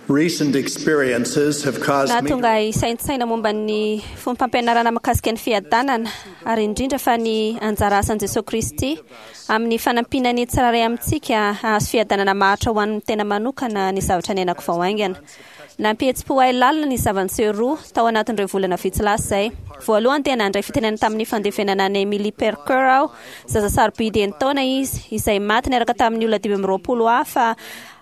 Recent experiences have caused me Nahatonga ahy hisaintsaina momba ny fombam-pampianarana mikasika ny fiadanana, ary indrindra fa ny anjara asan'i Jesoa Kristy amin'ny fanampiana ny tsirairay amintsika hahazo fiadanana maharitra ho an'ny tena manokana ny zavatra niainako vao haingana. Nampihetsi-po ahy lalina ny zava-niseho roa tao anatin'ireo volana vitsy lasa izay. Voalohany dia nandray fitenenana tamin'ny fandevenana an'i Emily Perker aho, zaza sarobidy enin-taona izy, izay maty niaraka tamin'ny olona 25 hafa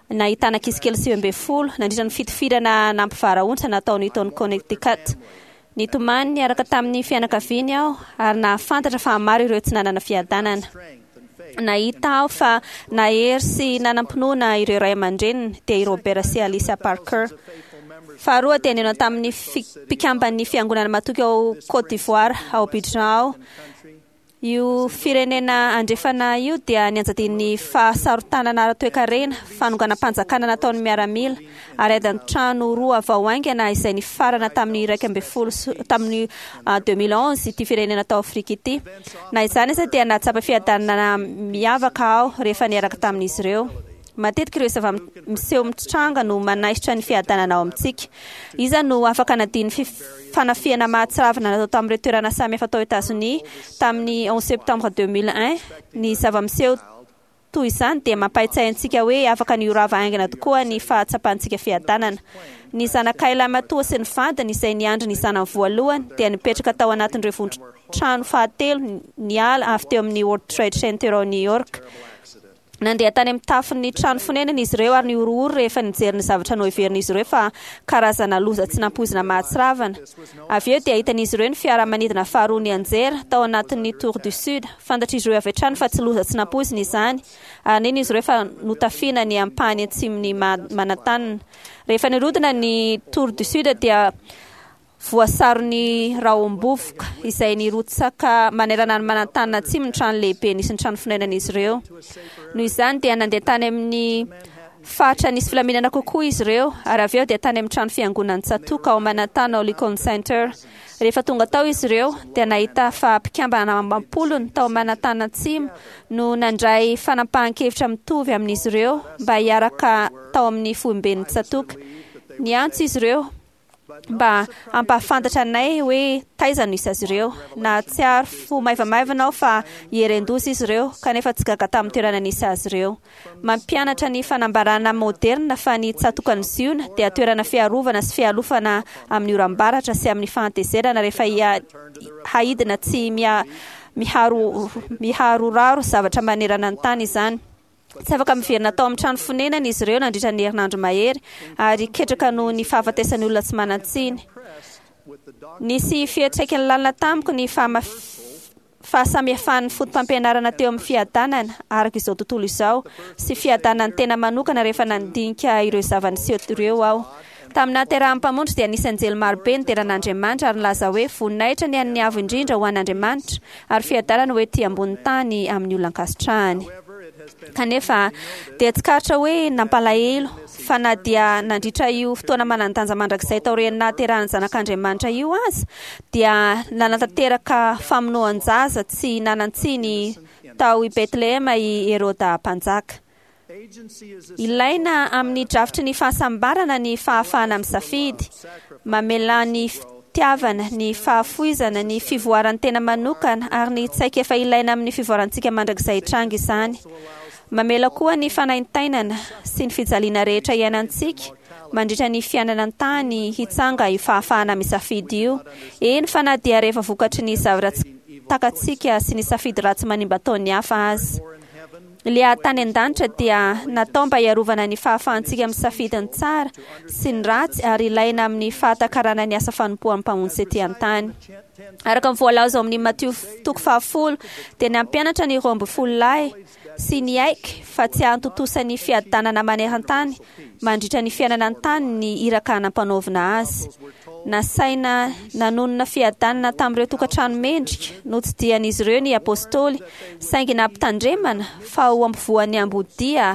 Nahitana ankizy kely 19 nandritra ny fitifirana nampivarahontsana natao Newton, Connecticut. Nitomany niaraka tamin'ny fianakaviany aho ary nahafantatra fa maro ireo tsy nanana fiadanana. Nahita aho fa nahery sy nanam-pinoana ireo ray aman-dreniny, dia i Robert sy Alicia Parker. Faharoa dia nihaona tamin'ny mpikamban'ny fiangonana matoky ao Côte d'Ivoire, ao Abidjan aho. Io firenena andrefana io dia nianjadian'ny fahasarotanana ara-toekarena, fanonganam-panjakana nataon'ny miaramila, ary ady an-trano roa vao haingana izay nifarana tamin'ny 11 sy tamin'ny 2011 ity firenena tao Afrika ity. Na izany aza dia nahatsapa fiadanana miavaka aho rehefa niaraka tamin'izy ireo. Matetika ireo zava-miseho mitranga no manaisotra ny fiadanana ao amintsika. Iza no afaka hanadino ny fanafihana mahatsiravina natao tamin'ireo toerana samihafa tao Etazonia tamin'ny 11 septembre 2001? Ny zava-miseho toy izany dia mampahatsiahy antsika hoe afaka ny ho rava haingana tokoa ny fahatsapantsika fiadanana. Ny zanakay lahimatoa sy ny vadiny, izay niandry ny zanany voalohany, dia nipetraka tao anatin'ireo vondron-trano fahatelo niala avy teo amin'ny World Trade Center ao New York. Nandeha tany amin'ny tafon'ny trano fonenana izy ireo ary nihorohoro rehefa nijery ny zavatra noheverin'izy ireo fa karazana loza tsy nampoizina mahatsiravina. Avy eo dia hitan'izy ireo ny fiaramanidina faharoa nianjera tao anatin'ny Tour du Sud. Fantatr'izy ireo avy hatrany fa tsy loza tsy nampoizina izany ary nino izy ireo fa notafiana ny ampahany atsimon'i Manhattan. Rehefa nirodana ny Tour du Sud dia Voasaron'ny rahom-bovoka izay nirotsaka manerana an'i Manantanina Atsimo ny trano lehibe nisy ny trano fonenan'izy ireo. Noho izany dia nandeha tany amin'ny faritra nisy filaminana kokoa izy ireo ary avy eo dia tany amin'ny trano fiangonan'ny tsatòka ao Manhattan ao Lincoln Center. Rehefa tonga tao izy ireo dia nahita fa mpikambana amam-polony tao Manhattan Atsimo no nandray fanapahan-kevitra mitovy amin'izy ireo mba hiaraka tao amin'ny foiben'ny tsatòka. Niantso izy ireo mba hampahafantatra anay hoe taiza no hisy azy ireo. Nahatsiaro fo maivamaivana aho fa hieren-doza izy ireo, kanefa tsy gaga tamin'ny toerana nisy azy ireo. Mampianatra ny fanambarana maoderina fa ny tsatokan'i Ziona dia toerana fiarovana sy fialofana amin'ny oram-baratra sy amin'ny fahatezerana rehefa haidina tsy miharoraro zavatra manerana ny tany izany. Tsy afaka miverina tao amin'ny trano fonenany izy ireo nandritra ny herinandro mahery ary ketraka noho ny fahafatesan'ny olona tsy manan-tsiny. Nisy fiantraikany lalina tamiko ny fahasamihafan'ny fotopampianarana teo amin'ny fiadanana araka izao tontolo izao sy fiadanan'ny tena manokana rehefa nandinika ireo zava-niseho ireo aho. Tamin'ny nahaterahan'ny Mpamonjy dia nisy anjely marobe nidera an'Andriamanitra ary nilaza hoe, Voninahitra ny an'ny Avo Indrindra ho an'Andriamanitra, ary fiadanana ho ety ambonin'ny tany amin'ny olona ankasitrahany. Kanefa, dia tsikaritra hoe nampalahelo fa na dia nandritra io fotoana manan-danja mandrakizay taorian'ny nahaterahan'ny Zanak'Andriamanitra io aza, dia nanatanteraka famonoan-jaza tsy nanan-tsiny tao i Betlehema i Heroda Mpanjaka. Ilaina amin'ny drafitry ny fahasambarana ny fahafahana misafidy. Mamela ny fitiavana, ny fahafoizana, ny fivoaran'ny tena manokana ary ny tsaikefa ilaina amin'ny fivoarantsika mandrakizay hitranga izany. Mamela koa ny fanaintainana sy ny fijaliana rehetra iainantsika mandritra ny fiainana an-tany hitsanga io fahafahana misafidy io, eny fa na dia rehefa vokatry ny zavatra tsy takatsika sy ny safidy ratsy manimba ataon'ny hafa aza. Ilay ady tany an-danitra dia natao mba hiarovana ny fahafahantsika misafidy ny tsara sy ny ratsy ary ilaina amin'ny fahatakarana ny asa fanompoan'ny Mpamonjy tety an-tany. Araka ny voalaza ao amin'ny Matio toko fahafolo dia nampianatra ny 12 lahy sy niaiky fa tsy hahatontosa ny fiadanana maneran-tany mandritra ny fiainana an-tany ny iraka nampanaovina azy. Nasaina nanonona fiadanana tamin'ireo tokantrano mendrika notsidihan'izy ireo ny apostoly, saingy nampitandremana fa ho ampovoan'ny ambodia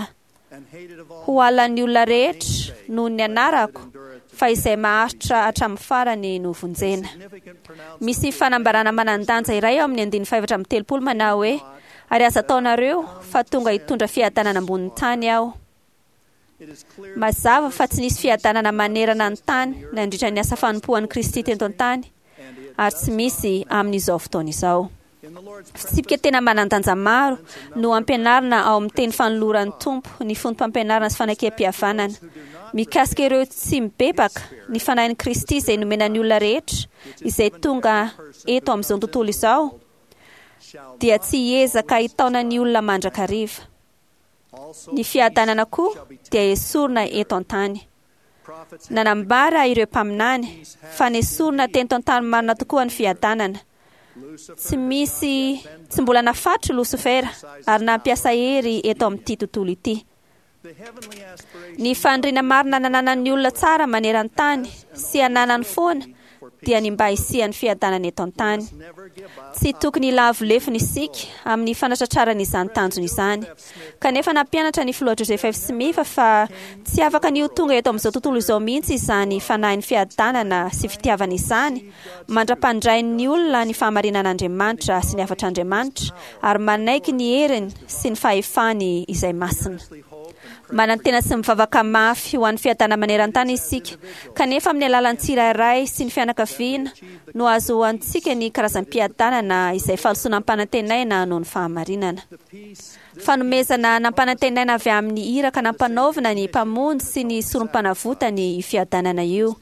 ho halan'ny olona rehetra noho ny anarako, fa izay maharitra hatramin'ny farany no vonjena. Misy fanambarana manan-danja iray ao amin'ny andininy faha-34 manao hoe, Ary aza ataonareo fa tonga hitondra fiadanana ambonin'ny tany aho. Mazava fa tsy nisy fiadanana manerana ny tany nandritra ny asa fanompoan'i Kristy teto an-tany, ary tsy misy amin'izao fotoana izao. Fitsipika tena manan-danja maro no ampianarina ao amin'ny teny fanoloran'ny Tompo ny foto-pampianarana sy fanekempihavanana. Mikasika ireo tsy mibebaka, ny Fanahin'i Kristy izay nomena ny olona rehetra izay tonga eto amin'izao tontolo izao dia tsy hiezaka hitaona ny olona mandrakariva. Ny fiadanana koa dia esorina eto an-tany. Nanambara ireo mpaminany fa nesorina teto an-tany marina tokoa ny fiadanana. Tsy misy, tsy mbola nafatro Losifera ary nampiasa hery eto amin'ity tontolo ity. Ny faniriana marina nananan'ny olona tsara maneran-tany sy ananany foana dia ny mba hisian'ny fiadanana eto an-tany. Tsy tokony hilavo lefona isika amin'ny fanatratrarana izany tanjona izany. Kanefa nampianatra ny Filoha Joseph F. Smith fa tsy afaka ny ho tonga eto amin'izao tontolo izao mihitsy izany fanahin'ny fiadanana sy fitiavana izany mandra-pandrain'ny olona ny fahamarinan'Andriamanitra sy ny hafatr'Andriamanitra ary manaiky ny heriny sy ny fahefany izay masina. Manantena sy mivavaka mafy ho an'ny fiadanana maneran-tany isika, kanefa amin'ny alalan'ny tsirairay sy ny fianakaviana no ahazoantsika ny karazam-piadanana izay fahalosoana ampanantenaina noho ny fahamarinana. Fanomezana nampanantenaina avy amin'ny iraka nampanaovina ny Mpamonjy sy ny Sorompanavotany io fiadanana io.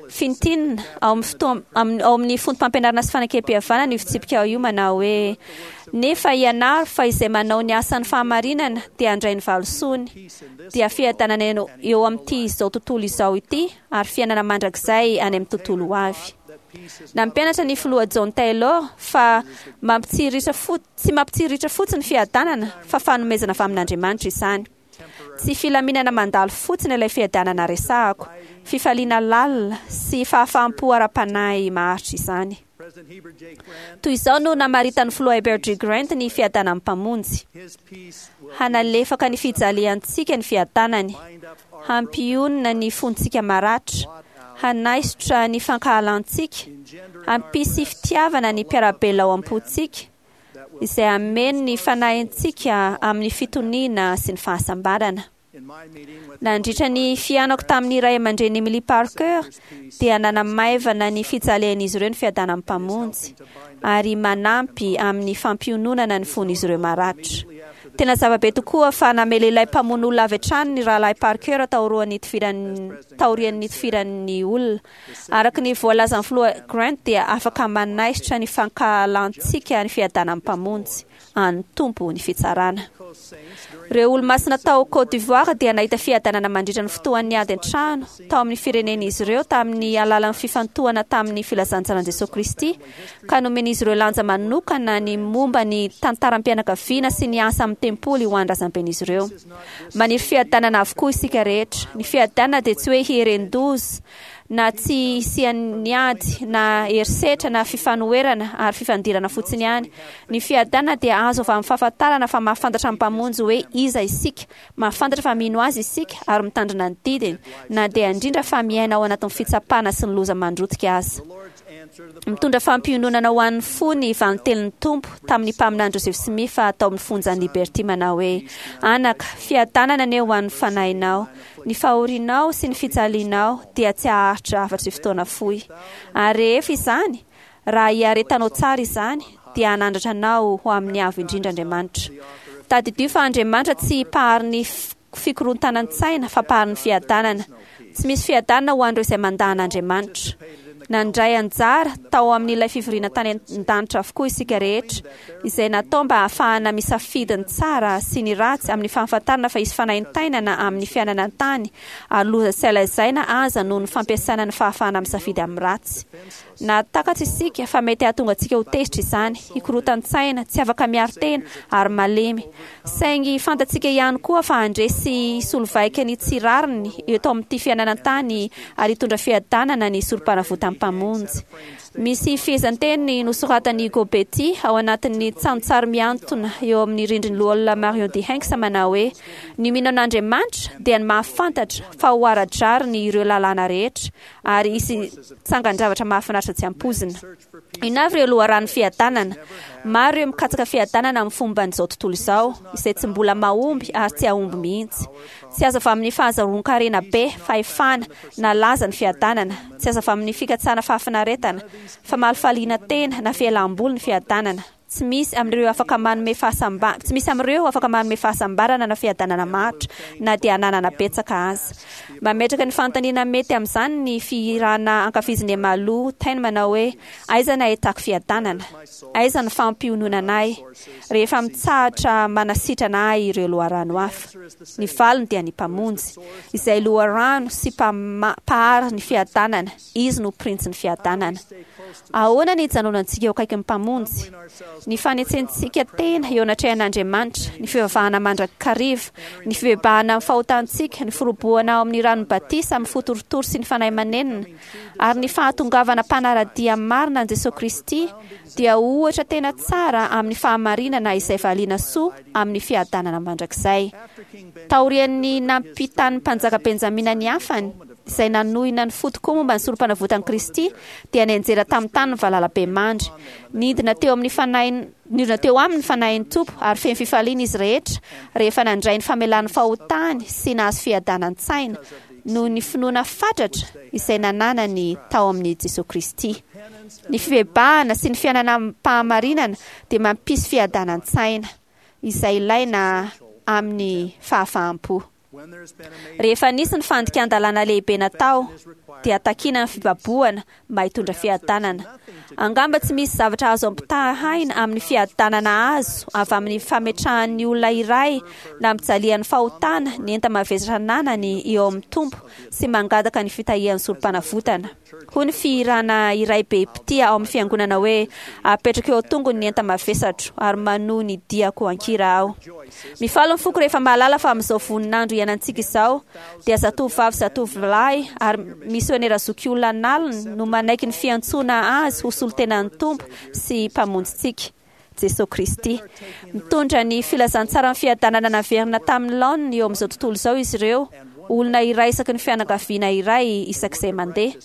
Fintinina, ao amin'ny fotoam, ao amin'ny foto-pampianarana sy fanekempihavanana io fitsipika io manao hoe, Nefa ianaro fa izay manao ny asan'ny fahamarinana dia handray ny valisoany, dia fiadanana eo amin'ity izao tontolo izao ity ary fiainana mandrakizay any amin'ny tontolo ho avy. Nampianatra ny Filoha John Taylor fa mampitsiriritra fo, tsy mampitsiriritra fotsiny fiadanana fa fanomezana avy amin'Andriamanitra izany. Tsy filaminana mandalo fotsiny ilay fiadanana resahako, fifaliana lalina sy fahafaham-po ara-panahy maharitra izany. Toy izao no namaritan'ny Filoha Heber G. Grant ny fiadanan'ny Mpamonjy, Hanalefaka ny fijaliantsika ny fiadanany, hampionona ny fontsika maratra, hanaisotra ny fankahalantsika, hampisy fitiavana ny mpiara-belona ao am-pontsika, izay hameno ny fanahintsika amin'ny fitoniana sy ny fahasambarana. Nandritra ny fihaonako tamin'ny ray aman-dreny Emily Parker, dia nanamaivana ny fijalian'izy ireo ny fiadanan'ny Mpamonjy, ary manampy amin'ny fampiononana ny fon'izy ireo maratra. Tena zava-be tokoa fa namela ilay mpamono olona avy hatrany ny Rahalahy Parker taorian'ny taorian'ny nitifiran'ny olona. Araka ny voalazan'ny Filoha Grant dia afaka manaisotra ny fankahalantsika ny fiadanan'ny Mpamonjy. an'ny Tompo ny fitsarana. Ireo Olomasina tao Côte d'Ivoire dia nahita fiadanana mandritra ny fotoan'ny ady an-trano tao amin'ny firenen'izy ireo tamin'ny alalan'ny fifantohana tamin'ny filazantsaran'i Jesoa Kristy ka nomen'izy ireo lanja manokana ny momba ny tantaram-pianakaviana sy ny asa amin'ny tempoly ho an'ny razamben'izy ireo. Maniry fiadanana avokoa isika rehetra. Ny fiadanana dia tsy hoe hieren-doza na tsy hisian'ny ady na herisetra na fifanoherana ary fifandirana fotsiny ihany. Ny fiadanana dia azo avy amin'ny fahafantarana fa mahafantatra ny Mpamonjy hoe iza isika, mahafantatra fa mino Azy isika ary mitandrina ny didiny, na dia indrindra fa miaina ao anatin'ny fitsapana sy ny loza mandrotika aza. Mitondra fampiononana ho an'ny fo ny valintenin'ny Tompo tamin'ny mpaminany Joseph Smith tao amin'ny fonjan'i Liberty manao hoe, Anaka, fiadanana anie ho an'ny fanahinao. Ny fahorianao sy ny fijalianao dia tsy haharitra afa-tsy fotoana fohy. Ary rehefa izany, raha iaretanao tsara izany, dia hanandratra anao ho amin'ny Avo Indrindra Andriamanitra. Tadidio fa Andriamanitra tsy mpahary ny fikorontanan-tsaina fa mpahary ny fiadanana. Tsy misy fiadanana ho an'ireo izay mandà an'Andriamanitra. Nandray anjara tao amin'ilay fivoriana tany an-danitra avokoa isika rehetra, izay natao mba hahafahana misafidy ny tsara sy ny ratsy amin'ny fahafantarana fa hisy fanaintainana amin'ny fiainana an-tany ary loza tsy hay lazaina aza noho ny fampiasana ny fahafahana misafidy amin'ny ratsy. Nahatakatra isika fa mety hahatonga antsika ho tezitra izany, hikorotan-tsaina, tsy afaka miaro tena ary malemy. Saingy fantatsika ihany koa fa handresy sy hisolo vaika ny tsy rariny eto amin'ity fiainana an-tany ary hitondra fiadanana ny Sorompanavotan'ny Mpamonjy. Misy fehezanteny nosoratan'i Hugo Betti ao anatin'ny tsantsary mihantona eo amin'ny rindrin'ny Loholona Marion D. Hanks manao hoe, Ny mino an'Andriamanitra dia ny mahafantatra fa ho ara-drariny ireo lalàna rehetra ary hisy tsangan-javatra mahafinaritra tsy ampoizina. Inona avy ireo loharanon'ny fiadanana? Maro ireo mikatsaka fiadanana amin'ny fomban'izao tontolo izao, izay tsy mbola mahomby ary tsy hahomby mihitsy. Tsy azo avy amin'ny fahazahoan-karena be, fahefana, na laza ny fiadanana. Tsy azo avy amin'ny fikatsahana fahafinaretana, famalifaliana tena, na fialam-boly ny fiadanana. Tsy misy amin'ireo afaka manome fahasamba, tsy misy amin'ireo afaka manome fahasambarana na fiadanana maharitra, na dia ananana betsaka aza. Mametraka ny fanontaniana mety amin'izany ny fihirana ankafizin'i Emalu Tain manao hoe, Aiza ny ahitako fiadanana? Aiza ny fampiononana ahy rehefa mitsahatra manasitrana ahy ireo loharano hafa? Ny valiny dia ny Mpamonjy, izay loharano sy Mpahary ny fiadanana. Izy no Printsin'ny fiadanana. Ahoana ny hijanonantsika eo akaikin'ny Mpamonjy? Ny fanetsentsika tena eo anatrehan'Andriamanitra, ny fivavahana mandrakariva, ny fibebahana amin'ny fahotantsika, ny firobohana ao amin'ny ranon'ny batisa amin'ny fo torotoro sy ny fanahy manenina, ary ny fahatongavana mpanara-dia marina an'i Jesoa Kristy dia ohatra tena tsara amin'ny fahamarinana izay valiana soa amin'ny fiadanana mandrakizay. Taorian'ny nampitan'ny mpanjaka Benjamina ny hafany, izay nanohina ny fo tokoa momba ny Sorompanavotan'i Kristy, dia nianjera tamin'ny tany ny valalabemandry. Nidina teo amin'ny fanahy nidina teo aminy ny Fanahin'ny Tompo, ary feno fifaliana izy rehetra rehefa nandray ny famelan'ny fahotany sy nahazo fiadanan-tsaina, noho ny finoana fatratra izay nananany tao amin'i Jesoa Kristy. Ny fibebahana sy ny fiainana amim-pahamarinana dia mampisy fiadanan-tsaina, izay ilaina amin'ny fahafaham-po. Rehefa nisy ny fandikan-dalàna lehibe natao, dia takiana ny fibabohana mba hitondra fiadanana. Angamba tsy misy zavatra azo ampitahaina amin'ny fiadanana azo avy amin'ny fametrahan'ny olona iray nampijalian'ny fahotana ny enta-mavesatra ananany eo amin'ny Tompo sy mangataka ny fitahian'ny Sorompanavotana. Hoy ny fihirana iray be mpitia ao amin'ny fiangonana hoe, Apetrako eo an-tongony ny enta-mavesatro, ary manohy ny diako an-kira aho. Mifaly ny foko rehefa mahalala fa amin'izao voninandro iainantsika izao, dia zatovovavy sy zatovolahy ary misionera zokiolona an'aliny no manaiky ny fiantsoana azy ho solontenan'ny Tompo sy Mpamonjintsika, Jesoa Kristy. Mitondra ny filazantsaran'ny fiadanana naverina tamin'ny laoniny eo amin'izao tontolo izao izy ireo, olona iray isaky ny fianakaviana iray isak'izay mandeha.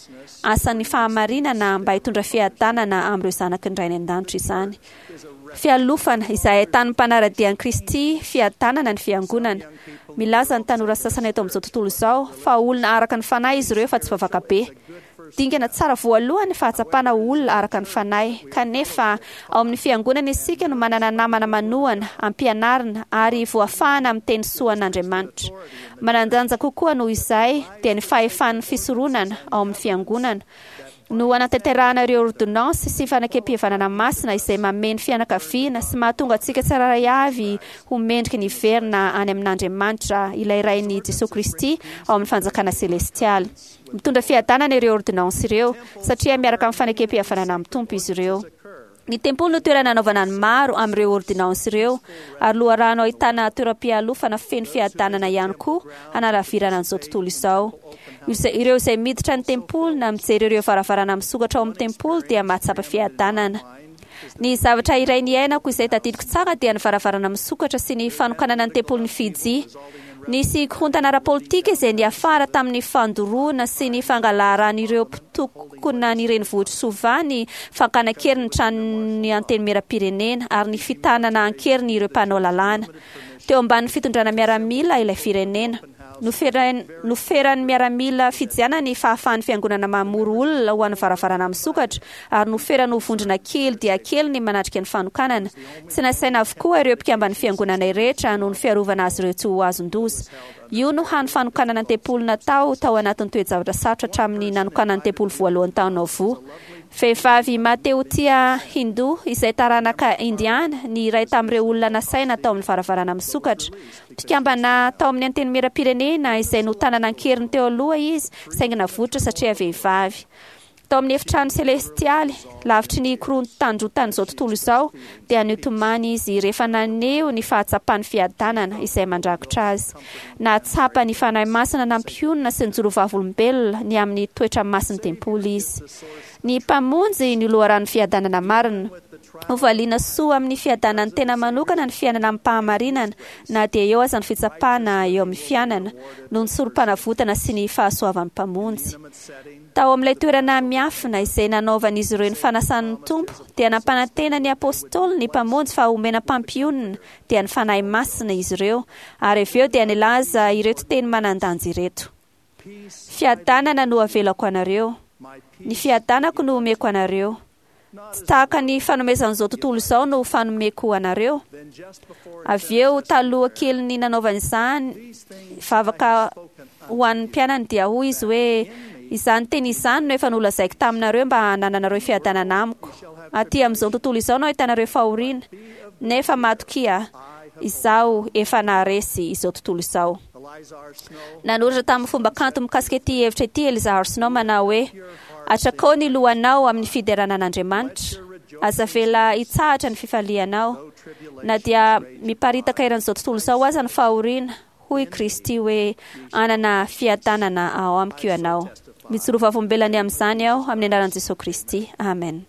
Asan'ny fahamarinana mba hitondra fiadanana amin'ireo zanaky ny Rainy an-danitra izany. Fialofana, izay ahitan'ny mpanara-dia an'i Kristy fiadanana ny Fiangonana. Milaza ny tanora sasany eto amin'izao tontolo izao fa olona araka ny fanahy izy ireo fa tsy vavaka be. Dingana tsara voalohany ny fahatsapana ho olona araka ny fanahy. Kanefa, ao amin'ny Fiangonana isika no manana namana manohana, ampianarina, ary voafahana amin'ny teny soan'Andriamanitra. Manan-danja kokoa noho izay dia ny fahefan'ny fisoronana ao amin'ny Fiangonana. no hanatanterahana ireo ôrdônansy sy fanekempihavanana masina izay mamehy ny fianakaviana sy mahatonga antsika tsirairay avy ho mendrika ny hiverina any amin'Andriamanitra, ilay Rain'i Jesoa Kristy, ao amin'ny fanjakana selestialy. Mitondra fiadanana ireo ôrdônansy ireo, satria miaraka amin'ny fanekempihavanana amin'ny Tompo izy ireo. Ny tempoly no toerana anaovana ny maro amin'ireo ôrdônansy ireo, ary loharano ahitana toeram-pialofana feno fiadanana ihany koa hanalavirana an'izao tontolo izao. Ireo izay miditra ny tempoly na mijery ireo varavarana misokatra ao amin'ny tempoly dia mahatsapa fiadanana. Ny zavatra iray niainako izay tadidiko tsara dia ny varavarana misokatra sy ny fanokanana ny tempolin'i Fidji. Nisy korontana ara-politika izay niafara tamin'ny fandoroana sy ny fangalaran'ireo mpitokona ny renivohitr'i Suva ny fakana an-keriny ny tranon'ny Antenimierampirenena ary ny fitanana an-keriny ireo mpanao lalàna. Teo ambanin'ny fitondrana miaramila ilay firenena. Noferan'ny miaramila fijiana ny fahafahan'ny fiangonana mamory olona ho an'ny varavarana misokatra ary noferany ho vondrona kely dia kely ny manatrika ny fanokanana. Tsy nasaina avokoa ireo mpikamban'ny fiangonana rehetra noho ny fiarovana azy ireo tsy ho azon-doza. Io no hany fanokanana ny tempoly natao tao anatin'ny toe-javatra sarotra hatramin'ny nanokanana ny tempoly voalohany tao Nauvoo. Vehivavy mahatehotia Hindu izay taranaka Indiana ny iray tamin'ireo olona nasaina tao amin'ny varavarana misokatra. Mpikambana tao amin'ny Antenimierampirenena izay notanana an-keriny teo aloha izy saingy navoitra satria vehivavy. Tao amin'ny efitrano selestialy, lavitry ny korontandrotan'izao tontolo izao, dia nitomany izy rehefa naneho ny fahatsapany fiadanana izay mandrakotra azy. Nahatsapa ny Fanahy Masina nampionona sy nijoro vavolombelona ny amin'ny toetra masin'ny tempoly izy. Ny Mpamonjy no loharanon'ny fiadanana marina. Hovaliana soa amin'ny fiadanan'ny tena manokana ny fiainana amim-pahamarinana, na dia eo aza ny fitsapana eo amin'ny fiainana, noho ny sorom-panavotana sy ny fahasoavan'ny Mpamonjy. Tao amin'ilay toerana miafina izay nanaovan'izy ireo ny fanasan'ny Tompo, dia nampanantena ny Apôstôly ny Mpamonjy fa homena mpampionona, dia ny Fanahy Masina, izy ireo, ary avy eo dia nilaza ireto teny manan-danja ireto, Fiadanana no avelako anareo, ny fiadanako no omeko anareo. Tsy tahaka ny fanomezan'izao tontolo izao no fanomeko anareo. Avy eo, taloha kelin'ny nanaovany izany vavaka ho an'ny mpianany dia hoy izy hoe, Izany teny izany no efa nolazaiko taminareo mba hanananareo fiadanana amiko. Aty amin'izao tontolo izao no ahitanareo fahoriana, nefa matokia, izaho efa naharesy izao tontolo izao. Nanoratra tamin'ny fomba kanto mikasika ity hevitra ity Eliza Arsenault manao hoe, Atrakao ny lohanao amin'ny fiderana an'Andriamanitra. Aza avela hitsahatra ny fifalianao. Na dia miparitaka eran'izao tontolo izao aza ny fahoriana, hoy Kristy hoe, Hanana fiadanana ao amiko ianao. Mijoro vavolombelona ny amin'izany aho, amin'ny anaran'i Jesoa Kristy. Amen.